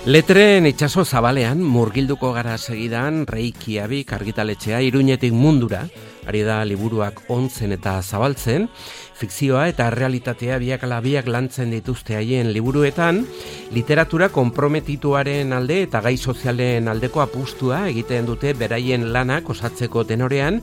Letren itsaso zabalean murgilduko gara segidan Reykjavik argitaletxea Iruñetik mundura, ari da liburuak ontzen eta zabaltzen, fikzioa eta realitatea biak ala biak lantzen dituzte haien liburuetan, literatura konprometituaren alde eta gai sozialen aldeko apustua egiten dute beraien lanak osatzeko tenorean,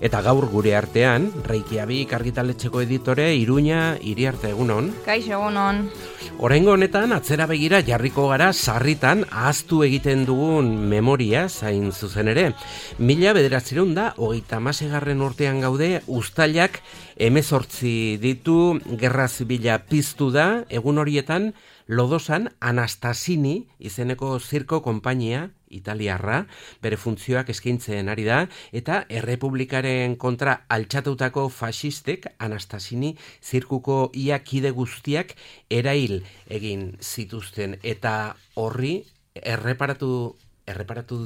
eta gaur gure artean, Reykjavik argitaletxeko editore Iruña Iriarte, egunon. Kaixo, egunon. Oraingo honetan atzera begira jarriko gara sarritan ahaztu egiten dugun memoria zain zuzen ere. 1936 urtean gaude, uztailak 18 ditu, gerra zibila piztu da, egun horietan Lodosan Anastasini izeneko zirko konpainia italiarra, bere funtzioak eskaintzen ari da, eta errepublikaren kontra altxatutako faxistek Anastasini zirkuko ia kide guztiak erail egin zituzten, eta horri erreparatu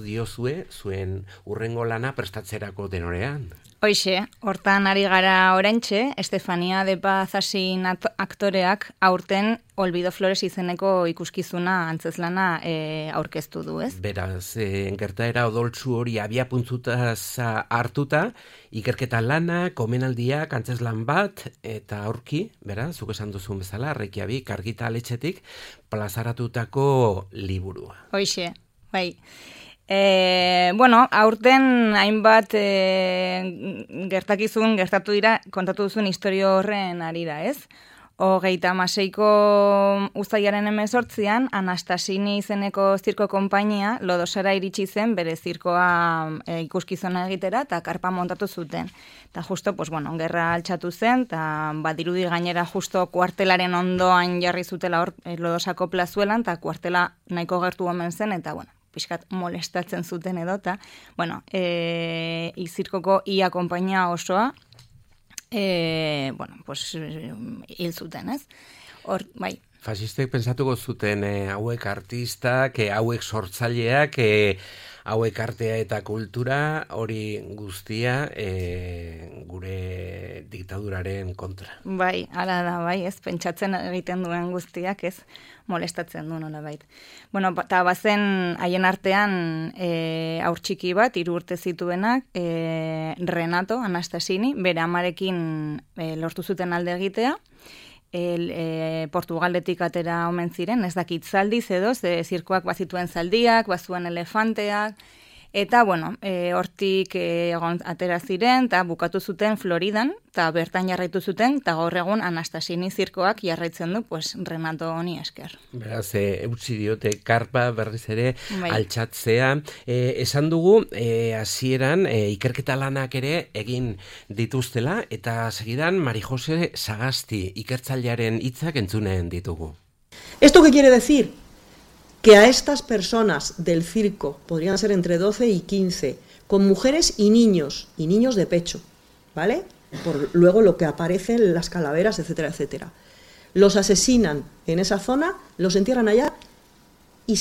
diozue zuen urrengo lana prestatzerako tenorean. Hoixe, hortan ari gara oraintxe, Estefania de Paz Asin aktoreak aurten Olvido Flores izeneko ikuskizuna antzezlana aurkeztu du, ez? Beraz, gertaera odoltsu hori abiapuntzutaz hartuta, ikerketa lana, komenaldiak, antzezlan bat, eta aurki, beraz, zuk esan duzun bezala, Reykjavik argitaletxetik plazaratutako liburua. Hoixe, bai. Aurten hainbat gertatu dira, kontatu duzun historio horren arira, ez? 36ko uztailaren 18an, Anastasini izeneko zirko konpainia Lodosara iritsi zen bere zirkoa ikuskizuna egitera eta karpa montatu zuten. Eta justo, gerra altxatu zen, eta badirudi gainera justo kuartelaren ondoan jarri zutela hor Lodosako plazuelan, eta kuartela nahiko gertu omen zen, eta pixkat molestatzen zuten edota. Zirkoko ia konpainia osoa, hil zuten, ez? Hor, bai. Fasistek pensatuko zuten hauek artistak, hauek sortzaileak, hauek artea eta kultura, hori guztia gure diktaduraren kontra. Bai, hala da, bai, ez pentsatzen egiten duen guztiak, ez molestatzen du nola bait. Eta bazen haien artean haur txiki bat, 3 urte zituenak, Renato Anastasini, bere amarekin lortu zuten alde egitea, Portugaldetik atera omen ziren, ez dakit zaldiz edo, zirkoak bazituen zaldiak, bazuen elefanteak, eta hortik atera ziren, eta bukatu zuten Floridan, eta bertan jarraitu zuten, eta gaur egun Anastasini zirkoak jarraitzen du, Renato honi esker. Beraz, eutzi diote karpa berriz ere altxatzea. Esan dugu, hasieran ikerketa lanak ere egin dituztela, eta segidan Mari Jose Sagasti ikertzailearen hitzak entzunen ditugu. ¿Esto qué quiere decir? Que a estas personas del circo, podrían ser entre 12 y 15, con mujeres y niños de pecho, ¿vale? Por luego lo que aparece en las calaveras, etcétera, etcétera. Los asesinan en esa zona, los entierran allá y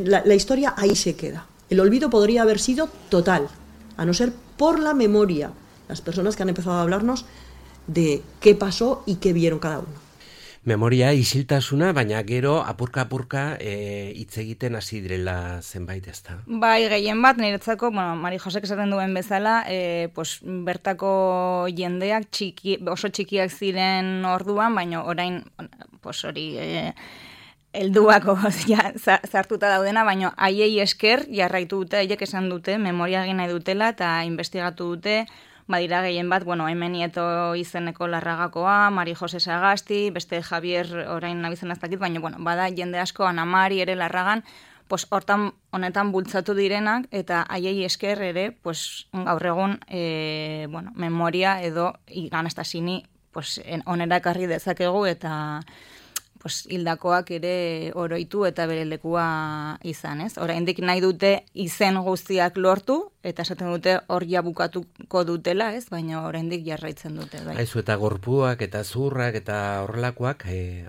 la historia ahí se queda. El olvido podría haber sido total, a no ser por la memoria, las personas que han empezado a hablarnos de qué pasó y qué vieron cada uno. Memoria isiltasuna, baina gero apurka hitz egiten hasi direla zenbait, ezta? Bai, gehien bat, niretzako, Mari Josek esaten duen bezala, bertako jendeak oso txikiak ziren orduan, baina orain, hori, helduako zartuta daudena, baina haiei esker jarraitu dute, haiek esan dute, memoria egin nahi dutela, eta investigatu dute, badira gehien bat, hemen Nieto izeneko Larragakoa, Mari Jose Sagasti, beste Javier orain nabizen aztakit, baina bada jende asko, Ana Mari ere Larragan, hortan honetan bultzatu direnak, eta haiei esker ere, gaur egun, memoria edo Anastasini onera ekarri dezakegu, eta hildakoak ere oroitu eta bere lekua izan, ez? Oraindik nahi dute izen guztiak lortu, eta esaten dute hor ja bukatuko dutela, ez? Baina oraindik jarraitzen dute, bai. Aizu eta gorpuak eta zurrak eta horrelakoak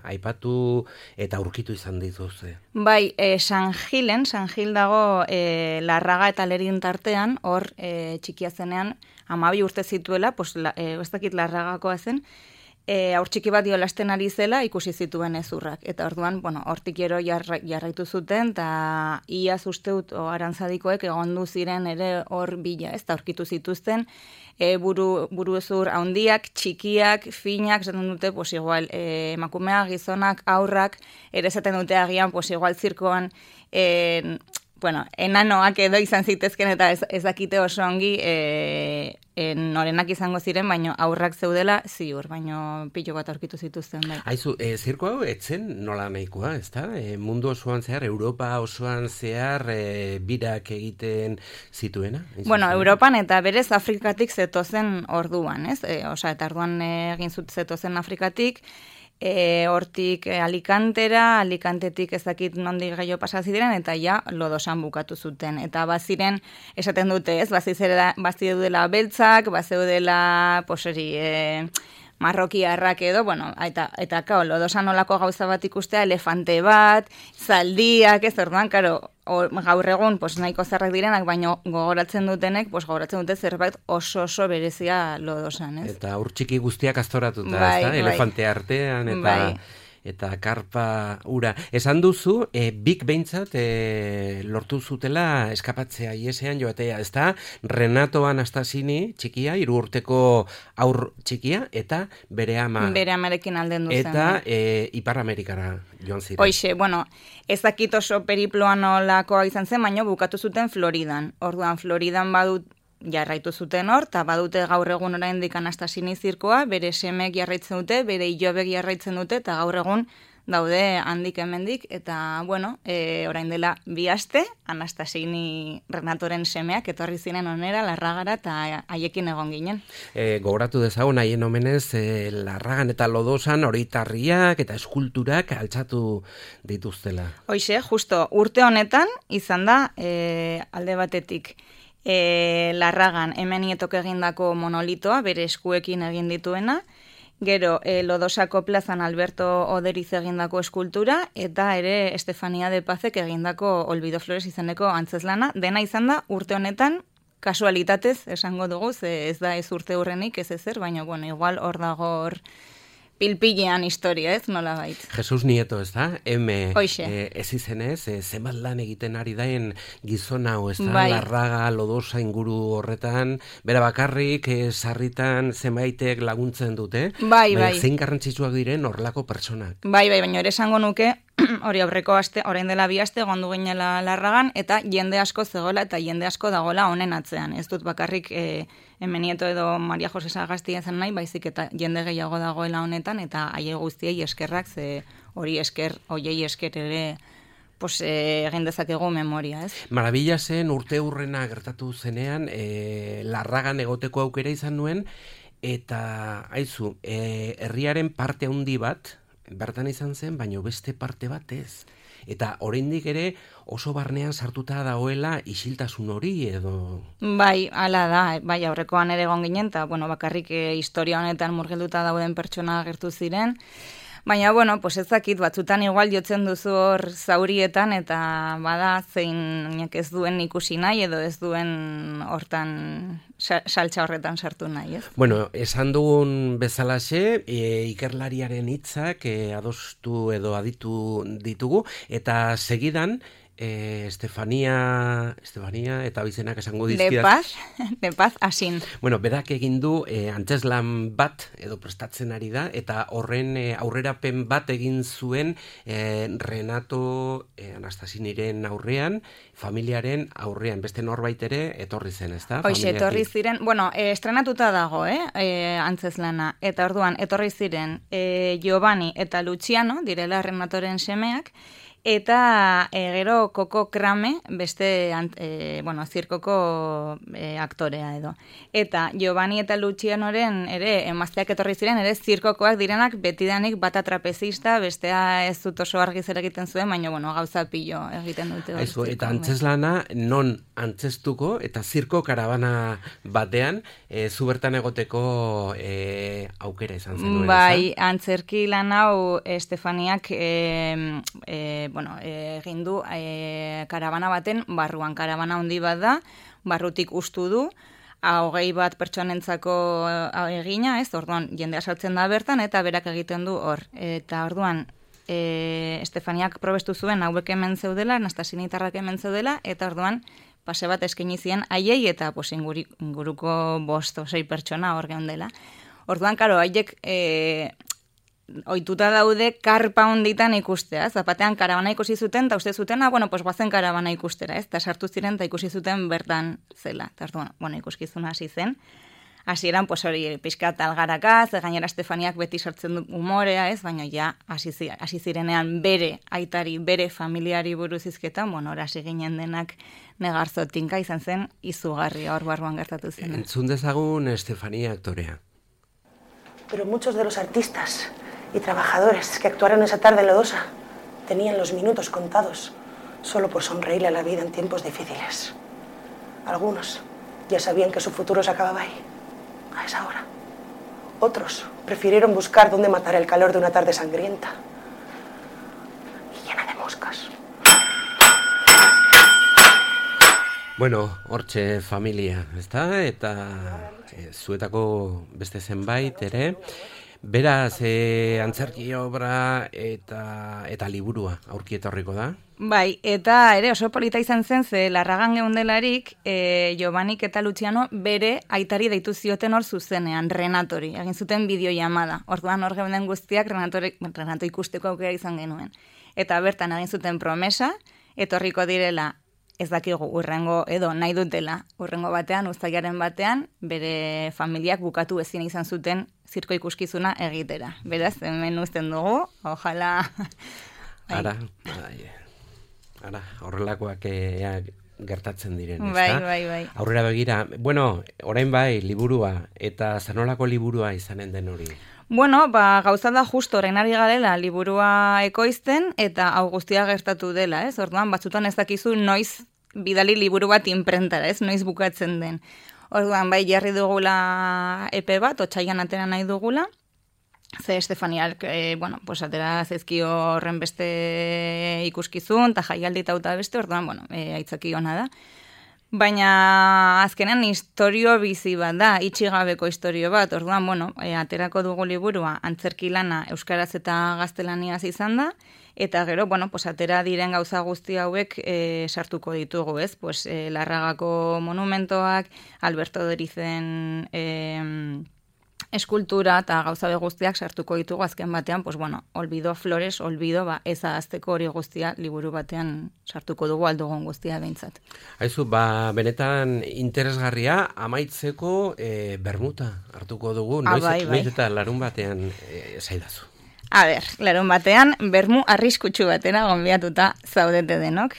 aipatu eta aurkitu izan dituzte. Bai, San Gil dago Larraga eta Lerin tartean, hor txikia zenean 12 urte zituela, ez dakit Larragakoa zen, haur txiki bat jolasten ari zela ikusi zituen hezurrak. Eta orduan, hortik gero jarraitu zuten, eta iaz usteut arantzadikoek egondu ziren ere hor bila, ez da aurkitu zituzten, buru hezur handiak, txikiak, finak, esaten dute, pues igual, emakumeak, gizonak, aurrak, ere esaten dute agian, pues igual zirkoan, enanoak edo izan zitezken eta ez dakite oso ongi norenak izango ziren, baino aurrak zeudela ziur, baino pilo bat aurkitu zituzten. Bai. Aizu, zirko hau etzen nola nahikoa, ezta? Mundu osoan zehar, Europa osoan zehar birak egiten zituena? Europan eta berez Afrikatik zetozen orduan, ez? Eta orduan egin zetozen Afrikatik, hortik Alicantetik ez dakit nondik gaio pasaziren, eta ja Lodosan bukatu zuten. Eta baziren, esaten dute ez, bazideudela beltzak, bazideudela marrokiarrak edo, eta Lodosan olako gauza bat ikustea, elefante bat, zaldiak, ez orduan, gaur egun nahiko zarrak direnak, baino gogoratzen dutenek, gogoratzen dute zerbait oso berezia Lodosan, ez? Eta aur txiki guztiak aztoratuta, ez da? Elefante artean, eta karpa ura. Esan duzu, bik behintzat lortu zutela eskapatzea iesean joatea, ez da? Renato Anastasini txikia, 3 urteko aur txikia, eta bere ama. Bere amarekin alden duzen. Eta Ipar Amerikara joan ziren. Hoixe, ez dakit oso periploan olakoa izan zen, baina bukatu zuten Floridan. Orduan, Floridan jarraitu zuten hor, eta badute gaur egun oraindik Anastasini zirkoa, bere semek jarraitzen dute, bere ilobek jarraitzen dute, eta gaur egun daude handik hemendik, eta, orain dela 2 aste, Anastasini Renatoren semeak etorri ziren onera, Larragara, eta haiekin egon ginen. Gogoratu dezagun, haien omenez, Larragan eta Lodosan horitarriak eta eskulturak altxatu dituztela. Hoixe, justo, urte honetan, izan da, alde batetik, Larragan hemen nietok egindako monolitoa, bere eskuekin egin dituena, gero Lodosako plazan Alberto Oderiz egindako eskultura, eta ere Estefania de Pazek egindako Olvido Flores izeneko antzeslana, dena izan da urte honetan, kasualitatez esango dugu, ez da ez urte hurrenik, ez ezer, baina igual hor dago pilpilean historia, ez, nola bait. Jesus Nieto, ez da? Ez izenez, zenbat lan egiten ari daen gizon hau, ez da? Larraga, Lodosa inguru horretan, bera bakarrik, sarritan zenbaitek laguntzen dute. Bai. Zein garrantzitsuak diren horlako pertsonak. Bai, baina ere esango nuke, hori aurreko aste, orain dela 2 aste, gondu ginela Larragan, eta jende asko zegoela, eta jende asko dagoela honen atzean. Ez dut bakarrik Nieto edo Maria Jose Sagasti ezen nahi, baizik eta jende gehiago dagoela honetan, eta haie guztiei eskerrak, ze horiei esker ere egin dezakegu memoria, ez? Marabila zen urte hurrena gertatu zenean, Larragan egoteko aukera izan nuen, eta aizu, herriaren parte handi bat, bertan izan zen, baino beste parte bat ez. Eta oraindik ere oso barnean sartuta dagoela isiltasun hori edo... Bai, hala da, aurrekoan ere egon ginen, eta bakarrik historia honetan murgilduta dauden pertsona agertu ziren. Baina, ez dakit, batzutan igual jotzen duzu hor zaurietan, eta bada zein ez duen ikusi nahi, edo ez duen hortan saltza horretan sartu nahi, ez? Esan dugun bezalaxe, ikerlariaren hitzak adostu edo aditu ditugu, eta segidan, Estefania eta bizenak esango dizkidat. De Paz, asin. Berak egin du antzeslan bat edo prestatzen ari da, eta horren aurrerapen bat egin zuen Renato Anastasiniren aurrean, familiaren aurrean, beste norbait ere etorri zen, ezta? Hoxe, etorri ziren, estrenatuta dago, antzeslana, eta orduan etorri ziren Giovanni eta Luciano, direla Renatoren semeak, eta gero Koko Krame, beste zirkoko aktorea edo. Eta Giovanni eta Lucianoren ere emazteak etorri ziren, ere zirkokoak direnak betidanik bata trapezista, bestea ez dut oso argi zer egiten zuen, baina gauza pilo egiten dute. Aizu, eta antzeslana non antzestuko eta zirko karabana batean zu bertan egoteko aukera izan zenuen. Bai, antzerki lan hau Estefaniak egin du karabana baten barruan, karabana handi bat da, barrutik ustu du, 21 pertsonentzako egina, ez, orduan jendea sartzen da bertan, eta berak egiten du hor. Eta orduan, Estefaniak probestu zuen hauek hemen zeudela, Anastasinitarrak hemen zeudela, eta orduan pase bat eskaini zien haiei eta inguruko 5 o 6 pertsona hor geundela. Orduan, karo, haiek ohituta daude karpa honditan ikustea, zapatean karabana ikusi zuten, eta uste zuten, bueno, pues guazen karabana ikustera, ez? Eta sartu ziren, eta ikusi zuten bertan zela. Eta orduan, bueno, ikuskizuna hasi zen. Hasieran, pues hori, pixkat algaraka, ze gainera Estefaniak beti sartzen du umorea, ez? Baina ja, hasi zirenean bere aitari, bere familiari buruz izketan, bueno, hasi ginen denak negarzotinka izan zen, izugarria hor barruan gertatu zen. Entzun dezagun Estefania aktorea. Pero muchos de los artistas y trabajadores que actuaron esa tarde en Lodosa tenían los minutos contados solo por sonreírle a la vida en tiempos difíciles. Algunos ya sabían que su futuro se acababa ahí, a esa hora. Otros prefirieron buscar dónde matar el calor de una tarde sangrienta y llena de moscas. Bueno, hortxe familia, ezta? Eta zuetako beste zenbait ere. Beraz, antzerki obra eta liburua aurki etorriko da? Bai, eta ere oso polita izan zen, ze Larragan geundelarik, Jobanik eta Luciano bere aitari deitu zioten hor zuzenean, Renatori, egin zuten bideoiamada. Orduan hor geunden guztiak Renato ikusteko aukera izan genuen. Eta bertan egin zuten promesa, etorriko direla, ez dakigu urrengo edo nahi dutela, urrengo batean, uztailaren batean, bere familiak bukatu ezin izan zuten zirko ikuskizuna egitera. Beraz, hemen uzten dugu, ojala... Ara, horrelakoak gertatzen diren, ezta? Bai. Aurrera begira, bueno, orain bai, liburua, eta zanolako liburua izanen den hori? Bueno, gauza da justo orain ari garela liburua ekoizten eta hau guztia gertatu dela, ez? Orduan, batzutan ez dakizu noiz bidali liburu bat inprentara, ez? Noiz bukatzen den. Orduan, bai, jarri dugula epe bat, otsailean atera nahi dugula, ze Estefaniak, bueno, pues atera zezkio horren beste ikuskizun, eta jaialdi eta beste, orduan, bueno, aitzaki ona da. Baina azkenean historio bizi bat da, itxigabeko historio bat, orduan, bueno, aterako dugu liburua antzerki lana euskaraz eta gaztelaniaz izan da, eta gero, bueno, pues atera diren gauza guzti hauek sartuko ditugu, ez? Pues Larragako monumentoak, Alberto Dorizen eskultura eta gauza guztiak sartuko ditugu azken batean, pues bueno, olbido flores, olbido, ez ahazteko hori guztia liburu batean sartuko dugu aldugun guztia behintzat. Haizu, benetan interesgarria amaitzeko bermuta hartuko dugu, noiz eta larun batean zaidazu. A ber, larun batean, bermu arriskutsu batera gonbiatuta zaudete denok.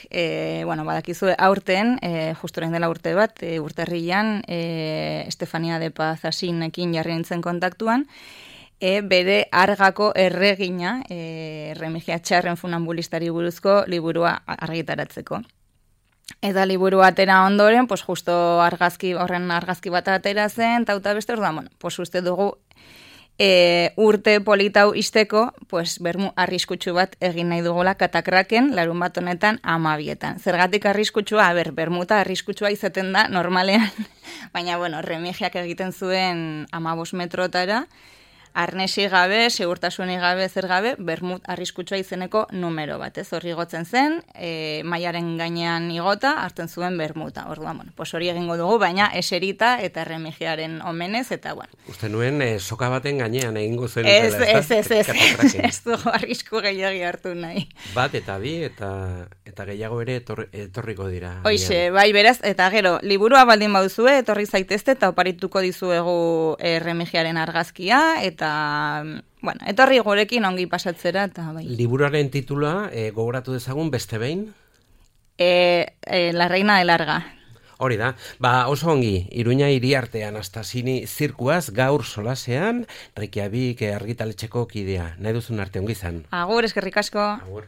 Bueno, badakizue aurten, justoren dela urte bat, urtarrilan, Estefania de Paz Asinekin jarri nintzen kontaktuan, bere Argako erregina, Remigia Txarren funambulistari buruzko liburua argitaratzeko. Eta liburu atera ondoren, pues justo horren argazki bat atera zen, tauta beste, orduan, bueno, pues uste dugu, urte politau izteko, pues bermu arriskutsu bat egin nahi dugula Katakraken larun bat honetan 12etan. Zergatik arriskutsua, bermuta arriskutsua izaten da normalean, baina bueno, Remigiak egiten zuen 15 metrotara, arnesi gabe, segurtasunik gabe, zer gabe, bermut arriskutsua izeneko numero bat, ez? Horri igotzen zen, mailaren gainean igota, hartzen zuen bermuta. Orduan, bueno, pues hori egingo dugu, baina eserita eta Remigiaren omenez, eta bueno. Uste nuen, soka baten gainean egingo zen. Ez dugu arrisku gehiagi hartu nahi. Bat eta bi, eta gehiago ere etorriko dira. Hoixe, bai, beraz, eta gero, liburua baldin bauzue, etorri zaitezte, eta oparituko dizuegu Remigiaren argazkia, eta bueno, etorri gurekin ongi pasatzera eta bai. Liburuaren titula gogoratu dezagun beste behin? La Reina de Larga. Hori da. Oso ongi, Iruña Iriarte Anastasini zirkuaz gaur solasean, Rekiabik argitaletxeko kidea. Nahi duzun arte ongi izan. Agur, eskerrik asko. Agur.